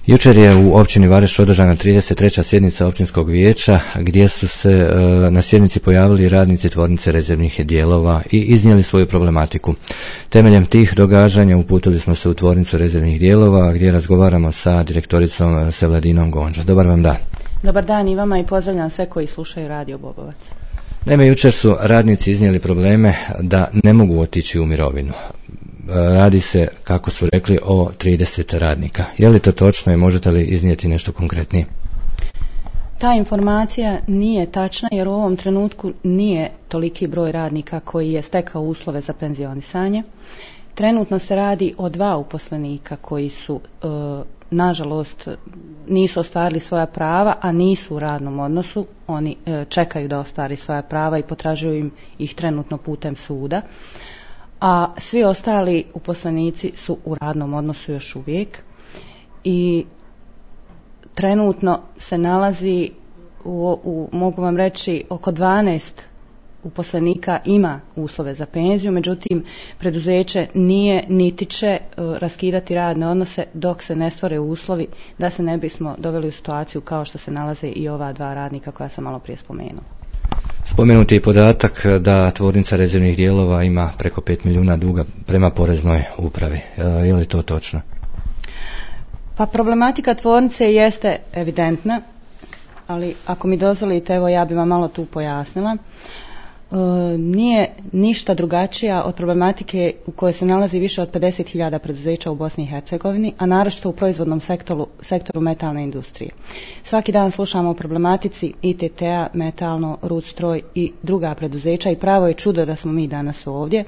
Jučer je u općini Vareš održana 33. sjednica općinskog vijeća gdje su se na sjednici pojavili radnici tvornice rezervnih dijelova i iznijeli svoju problematiku. Temeljem tih događanja uputili smo se u tvornicu rezervnih dijelova gdje razgovaramo sa direktoricom Sevladinom Gonđa. Dobar vam dan. Dobar dan i vama i pozdravljam sve koji slušaju Radio Bobovac. Naime, jučer su radnici iznijeli probleme da ne mogu otići u mirovinu. Radi se, kako su rekli, o 30 radnika. Je li to točno i možete li iznijeti nešto konkretnije? Ta informacija nije tačna jer u ovom trenutku nije toliki broj radnika koji je stekao uslove za penzionisanje. Trenutno se radi o 2 uposlenika koji su, nažalost, nisu ostvarili svoja prava, a nisu u radnom odnosu. Oni čekaju da ostvari svoja prava i potražuju im ih trenutno putem suda. A svi ostali uposlenici su u radnom odnosu još uvijek i trenutno se nalazi mogu vam reći, oko 12 uposlenika ima uslove za penziju, međutim preduzeće nije niti će raskidati radne odnose dok se ne stvore uslovi da se ne bismo doveli u situaciju kao što se nalaze i ova 2 radnika koja sam malo prije spomenula. Spomenuti je podatak da tvornica rezervnih dijelova ima preko 5 milijuna duga prema poreznoj upravi. Je li to točno? Pa problematika tvornice jeste evidentna, ali ako mi dozvolite, evo ja bih vam malo tu pojasnila. Nije ništa drugačija od problematike u kojoj se nalazi više od 50.000 preduzeća u Bosni i Hercegovini, a naročito u proizvodnom sektoru metalne industrije. Svaki dan slušamo o problematici ITT-a, Metalno, Rudstroj i druga preduzeća i pravo je čudo da smo mi danas ovdje.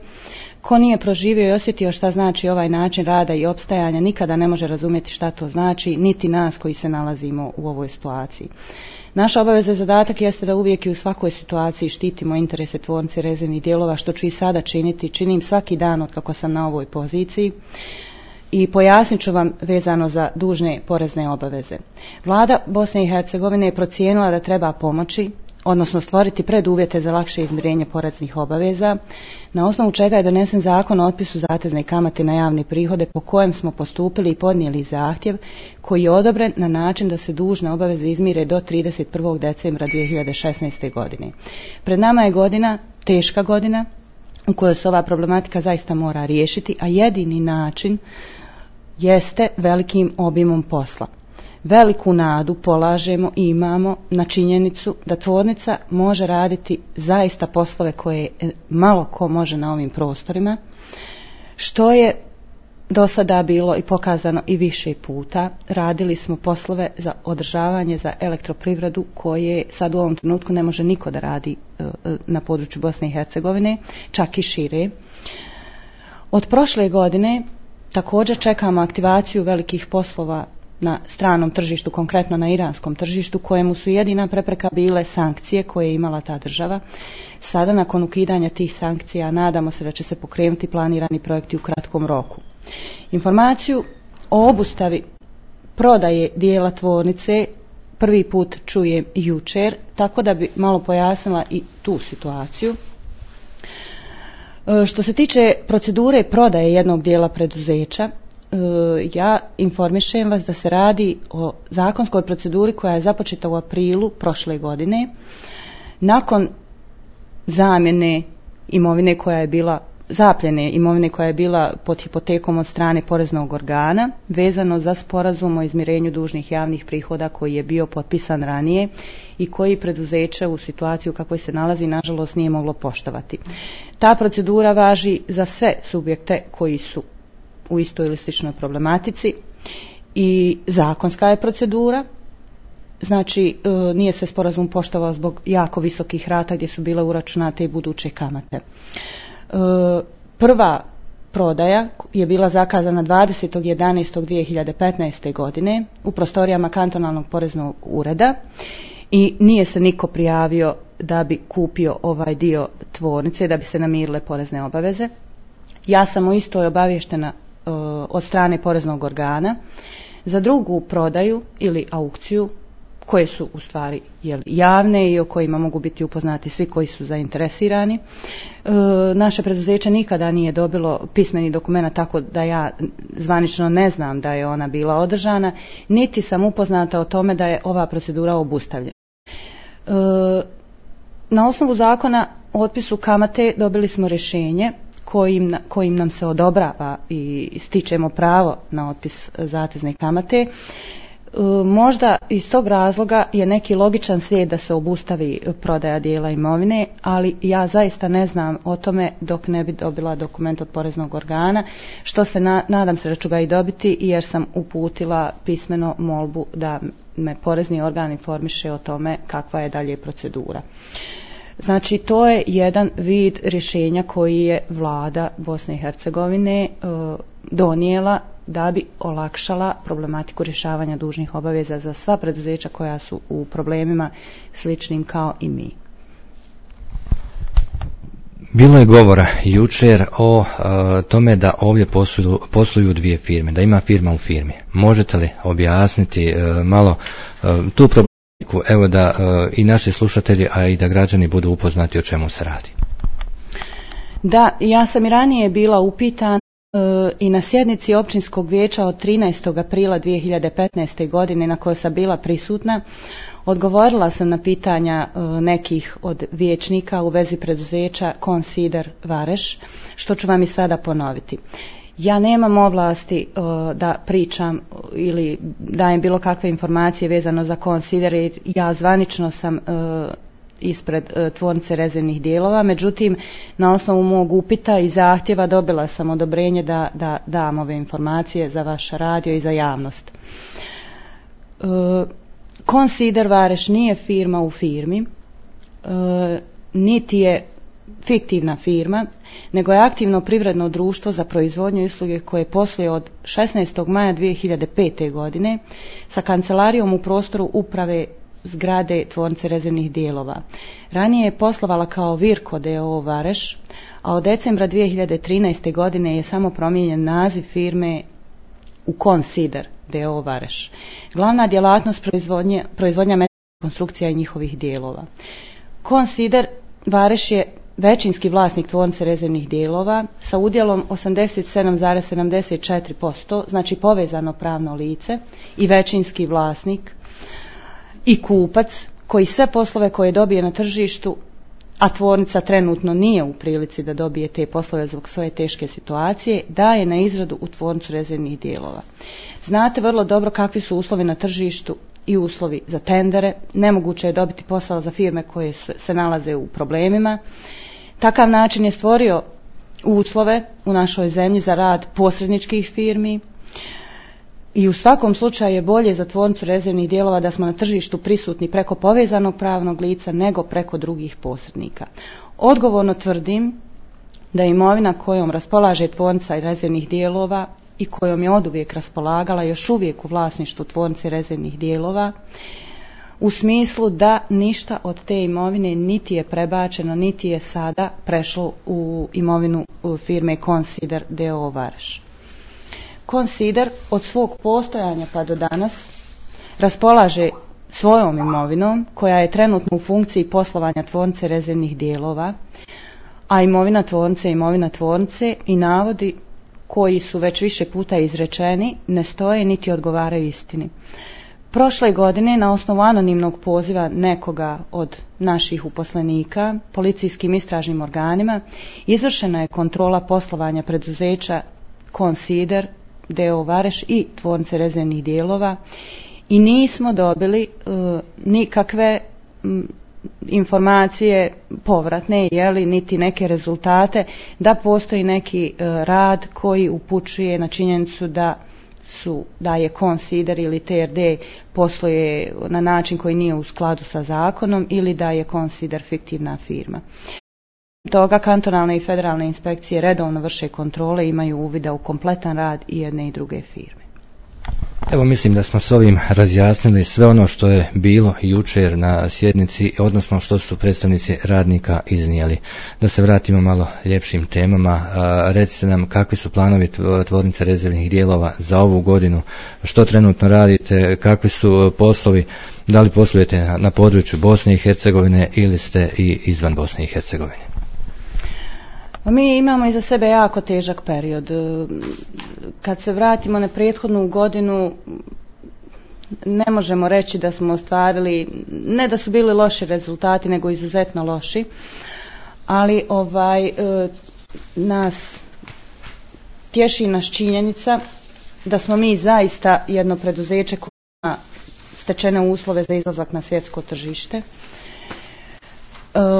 Ko nije proživio i osjetio šta znači ovaj način rada i opstajanja nikada ne može razumjeti šta to znači, niti nas koji se nalazimo u ovoj situaciji. Naša obaveza i zadatak jeste da uvijek i u svakoj situaciji štitimo interese tvornice rezervnih dijelova, što ću i sada činiti. Činim svaki dan od kako sam na ovoj poziciji i pojasnit ću vam vezano za dužne porezne obaveze. Vlada Bosne i Hercegovine je procijenila da treba pomoći, odnosno stvoriti preduvjete za lakše izmirenje poreznih obaveza, na osnovu čega je donesen zakon o otpisu zatezne kamate na javne prihode po kojem smo postupili i podnijeli zahtjev koji je odobren na način da se dužne obaveze izmire do 31. decembra 2016. godine. Pred nama je godina, teška godina, u kojoj se ova problematika zaista mora riješiti, a jedini način jeste velikim obimom posla. Veliku nadu polažemo i imamo na činjenicu da tvornica može raditi zaista poslove koje malo ko može na ovim prostorima, što je do sada bilo i pokazano i više puta. Radili smo poslove za održavanje za elektroprivredu koje sad u ovom trenutku ne može niko da radi na području Bosne i Hercegovine, čak i šire. Od prošle godine također čekamo aktivaciju velikih poslova na stranom tržištu, konkretno na iranskom tržištu, kojemu su jedina prepreka bile sankcije koje je imala ta država. Sada, nakon ukidanja tih sankcija, nadamo se da će se pokrenuti planirani projekti u kratkom roku. Informaciju o obustavi prodaje dijela tvornice prvi put čujem jučer, tako da bi malo pojasnila i tu situaciju. Što se tiče procedure prodaje jednog dijela preduzeća, ja informišem vas da se radi o zakonskoj proceduri koja je započeta u aprilu prošle godine nakon zamjene imovine koja je bila zapljene imovine koja je bila pod hipotekom od strane poreznog organa vezano za sporazum o izmirenju dužnih javnih prihoda koji je bio potpisan ranije i koji preduzeće u situaciji u kakvoj se nalazi nažalost nije moglo poštovati. Ta procedura važi za sve subjekte koji su u istoj ili sličnoj problematici i zakonska je procedura, znači nije se sporazum poštovao zbog jako visokih rata gdje su bile uračunate i buduće kamate. Prva prodaja je bila zakazana 20.11.2015. godine u prostorijama kantonalnog poreznog ureda i nije se niko prijavio da bi kupio ovaj dio tvornice, da bi se namirile porezne obaveze. Ja sam o istoj obavještena od strane poreznog organa. Za drugu prodaju ili aukciju koje su u stvari javne i o kojima mogu biti upoznati svi koji su zainteresirani. Naše preduzeće nikada nije dobilo pismeni dokument, tako da ja zvanično ne znam da je ona bila održana, niti sam upoznata o tome da je ova procedura obustavljena. Na osnovu zakona o otpisu kamate dobili smo rješenje kojim nam se odobrava i stičemo pravo na otpis zatezne kamate. Možda iz tog razloga je neki logičan slijed da se obustavi prodaja dijela imovine, ali ja zaista ne znam o tome dok ne bi dobila dokument od poreznog organa, što se nadam se da ću ga i dobiti, jer sam uputila pismeno molbu da me porezni organ informiše o tome kakva je dalje procedura. Znači, to je jedan vid rješenja koji je vlada Bosne i Hercegovine donijela da bi olakšala problematiku rješavanja dužnih obaveza za sva preduzeća koja su u problemima sličnim kao i mi. Bilo je govora jučer o tome da ovdje posluju dvije firme, da ima firma u firmi. Možete li objasniti malo tu problematiku, evo da i naši slušatelji, a i da građani budu upoznati o čemu se radi? Da, ja sam i ranije bila upitana i na sjednici općinskog vijeća od 13. aprila 2015. godine na kojoj sam bila prisutna. Odgovorila sam na pitanja nekih od vijećnika u vezi preduzeća Consider Vareš, što ću vam i sada ponoviti. Ja nemam ovlasti da pričam ili dajem bilo kakve informacije vezano za Consider, jer ja zvanično sam ispred tvornice rezervnih dijelova, međutim na osnovu mog upita i zahtjeva dobila sam odobrenje da dam ove informacije za vaš radio i za javnost. Consider Vareš nije firma u firmi, niti je fiktivna firma, nego je aktivno privredno društvo za proizvodnju i usluge koje posluje od 16. maja 2005. godine sa kancelarijom u prostoru uprave zgrade tvornice rezervnih dijelova. Ranije je poslovala kao Virko d.o.o. Vareš, a od decembra 2013. godine je samo promijenjen naziv firme u Consider d.o.o. Vareš. Glavna djelatnost proizvodnja metalnih konstrukcija i njihovih dijelova. Consider Vareš je većinski vlasnik tvornice rezervnih dijelova sa udjelom 87,74%, znači povezano pravno lice i većinski vlasnik i kupac koji sve poslove koje dobije na tržištu, a tvornica trenutno nije u prilici da dobije te poslove zbog svoje teške situacije, daje na izradu u tvornicu rezervnih dijelova. Znate vrlo dobro kakvi su uslovi na tržištu i uslovi za tendere. Nemoguće je dobiti posao za firme koje se nalaze u problemima. Takav način je stvorio uslove u našoj zemlji za rad posredničkih firmi i u svakom slučaju je bolje za tvornicu rezervnih dijelova da smo na tržištu prisutni preko povezanog pravnog lica nego preko drugih posrednika. Odgovorno tvrdim da imovina kojom raspolaže tvornica rezervnih dijelova i kojom je oduvijek raspolagala još uvijek u vlasništvu tvornice rezervnih dijelova, u smislu da ništa od te imovine niti je prebačeno, niti je sada prešlo u imovinu firme Consider d.o.o. Vareš. Consider od svog postojanja pa do danas raspolaže svojom imovinom koja je trenutno u funkciji poslovanja tvornice rezervnih dijelova, a imovina tvornice i navodi koji su već više puta izrečeni ne stoje niti odgovaraju istini. Prošle godine na osnovu anonimnog poziva nekoga od naših uposlenika policijskim istražnim organima izvršena je kontrola poslovanja preduzeća Consider d.o.o. Vareš i tvornice rezervnih dijelova i nismo dobili nikakve informacije povratne, niti neke rezultate da postoji neki rad koji upućuje na činjenicu da je Consider ili TRD posluje na način koji nije u skladu sa zakonom ili da je Consider fiktivna firma. Toga kantonalne i federalne inspekcije redovno vrše kontrole i imaju uvida u kompletan rad i jedne i druge firme. Evo, mislim da smo s ovim razjasnili sve ono što je bilo jučer na sjednici, odnosno što su predstavnici radnika iznijeli. Da se vratimo malo ljepšim temama. Recite nam kakvi su planovi tvornice rezervnih dijelova za ovu godinu, što trenutno radite, kakvi su poslovi, da li poslujete na području Bosne i Hercegovine ili ste i izvan Bosne i Hercegovine? Mi imamo iza sebe jako težak period. Kad se vratimo na prethodnu godinu, ne možemo reći da smo ostvarili, ne da su bili loši rezultati, nego izuzetno loši, ali nas tješi nas činjenica da smo mi zaista jedno preduzeće koje ima stečene uslove za izlazak na svjetsko tržište.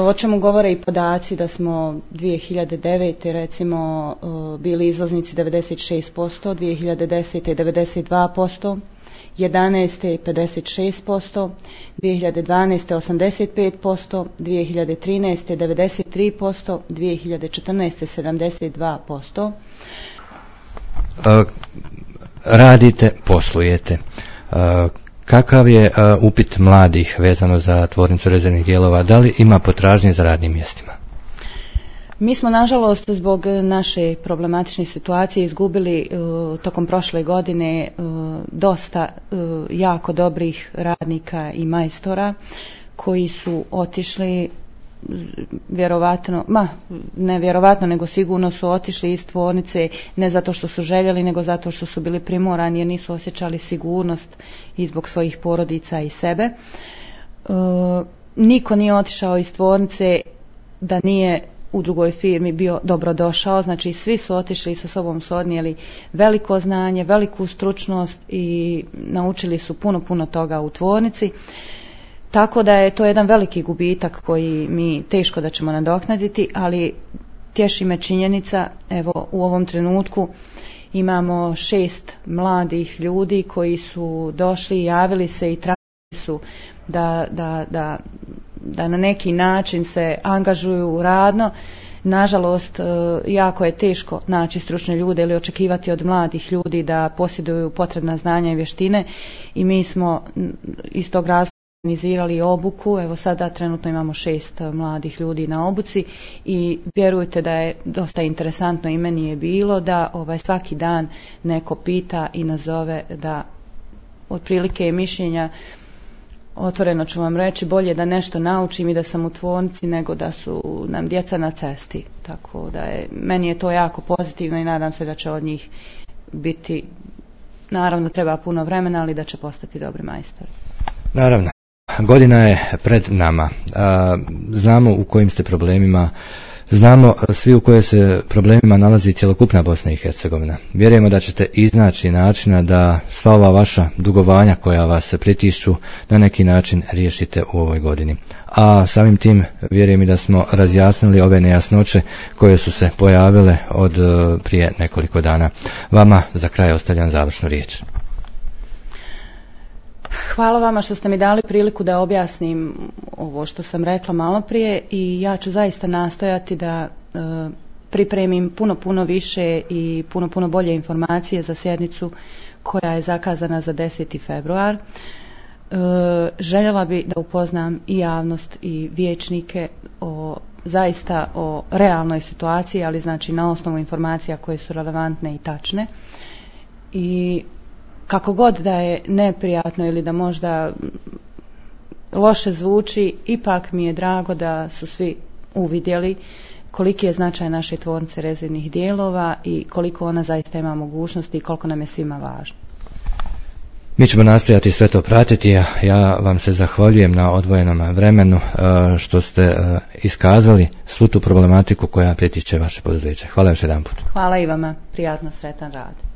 O čemu govore i podaci da smo 2009. recimo bili izvoznici 96%, 2010. 92%, 2011. 56%, 2012. 85%, 2013. 93%, 2014. 72%. Radite, poslujete. Kakav je upit mladih vezano za tvornicu rezervnih dijelova? Da li ima potražnje za radnim mjestima? Mi smo, nažalost, zbog naše problematične situacije izgubili tokom prošle godine dosta jako dobrih radnika i majstora koji su otišli nego sigurno su otišli iz tvornice ne zato što su željeli, nego zato što su bili primorani jer nisu osjećali sigurnost i zbog svojih porodica i sebe. Niko nije otišao iz tvornice da nije u drugoj firmi bio dobrodošao, znači svi su otišli i sa sobom su odnijeli veliko znanje, veliku stručnost i naučili su puno toga u tvornici. Tako da je to jedan veliki gubitak koji mi teško da ćemo nadoknaditi, ali tješi me činjenica, evo u ovom trenutku imamo 6 mladih ljudi koji su došli, javili se i tražili su da na neki način se angažuju radno. Nažalost, jako je teško naći stručne ljude ili očekivati od mladih ljudi da posjeduju potrebna znanja i vještine i mi smo iz tog razloga organizirali obuku. Evo sada trenutno imamo 6 mladih ljudi na obuci i vjerujte da je dosta interesantno i meni je bilo da svaki dan neko pita i nazove, da otprilike je mišljenja, otvoreno ću vam reći, bolje da nešto naučim i da sam u tvornici nego da su nam djeca na cesti. Tako da meni je to jako pozitivno i nadam se da će od njih biti, naravno treba puno vremena, ali da će postati dobri majstori. Naravno. Godina je pred nama. Znamo u kojim ste problemima, znamo svi u kojim se problemima nalazi cjelokupna Bosna i Hercegovina. Vjerujemo da ćete iznaći načina da sva ova vaša dugovanja koja vas pritišću na neki način riješite u ovoj godini. A samim tim vjerujem i da smo razjasnili ove nejasnoće koje su se pojavile od prije nekoliko dana. Vama za kraj ostavljam završnu riječ. Hvala vama što ste mi dali priliku da objasnim ovo što sam rekla malo prije i ja ću zaista nastojati da pripremim puno više i puno bolje informacije za sjednicu koja je zakazana za 10. februar. Željela bi da upoznam i javnost i vijećnike zaista o realnoj situaciji, ali znači na osnovu informacija koje su relevantne i tačne. I kako god da je neprijatno ili da možda loše zvuči, ipak mi je drago da su svi uvidjeli koliki je značaj naše tvornice rezervnih dijelova i koliko ona zaista ima mogućnosti i koliko nam je svima važno. Mi ćemo nastojati sve to pratiti, a ja vam se zahvaljujem na odvojenom vremenu što ste iskazali svu tu problematiku koja pritiče vaše poduzeće. Hvala još jedanput. Hvala i vama, prijatno, sretan rad.